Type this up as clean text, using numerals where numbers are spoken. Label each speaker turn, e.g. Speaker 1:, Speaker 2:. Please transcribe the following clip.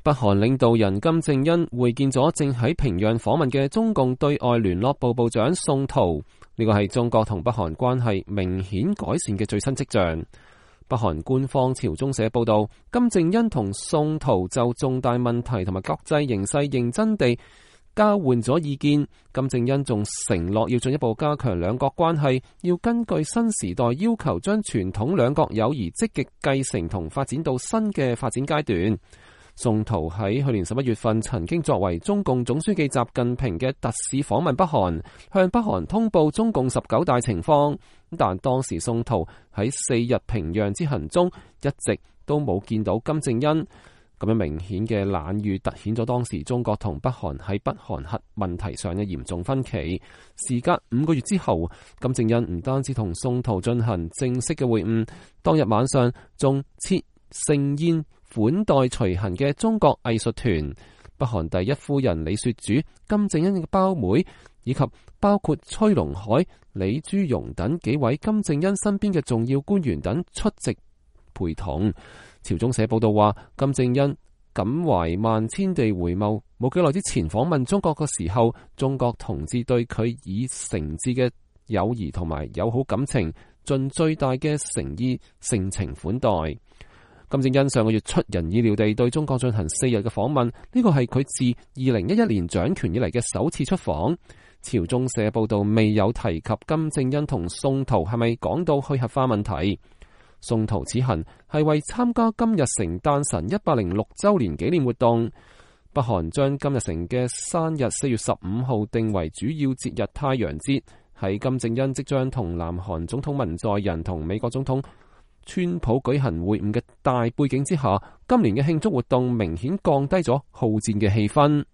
Speaker 1: 北韓領導人金正恩會見咗正喺平壤訪問嘅中共對外聯絡部部長宋濤，呢個係中國同北韓關係明顯改善嘅最新跡象。北韓官方朝中社報道，金正恩同宋濤就重大問題同埋國際形勢認真地交換咗意見。金正恩仲承諾要進一步加強兩國關係，要根據新時代要求，將傳統兩國友誼積極繼承同發展到新嘅發展階段。宋濤喺去年11月份曾經作為中共總書記習近平嘅特使訪問北韓，向北韓通報中共19大情況。但當時宋濤喺4日平壤之行中，一直都冇見到金正恩。咁樣明顯嘅冷遇，凸顯咗當時中國同北韓喺北韓核問題上嘅嚴重分歧。時隔5個月之後，金正恩唔單止同宋濤進行正式嘅會晤，當日晚上仲設盛宴款待隨行嘅中國藝術團。北韓第一夫人李雪主、金正恩嘅胞妹，以及包括崔龍海、李朱容等幾位金正恩身邊嘅重要官員等出席陪同。朝中社報道話，金正恩感懷萬千地回眸，冇幾耐之前訪問中國嘅時候，中國同志對佢以誠摯嘅友誼同埋友好感情，盡最大嘅誠意盛情款待。金正恩上個月出人意料地對中國進行4日嘅訪問，呢個係佢自2011年掌權以嚟嘅首次出訪。朝中社報道未有提及金正恩同宋濤係咪講到去核化問題。宋濤此行係為參加金日成誕辰106週年紀念活動。北韓將金日成嘅生日4月15號定為主要節日太陽節。喺金正恩即將同南韓總統文在寅同美國總統川普舉行會晤嘅大背景之下，今年嘅慶祝活動明顯降低咗好戰嘅氣氛。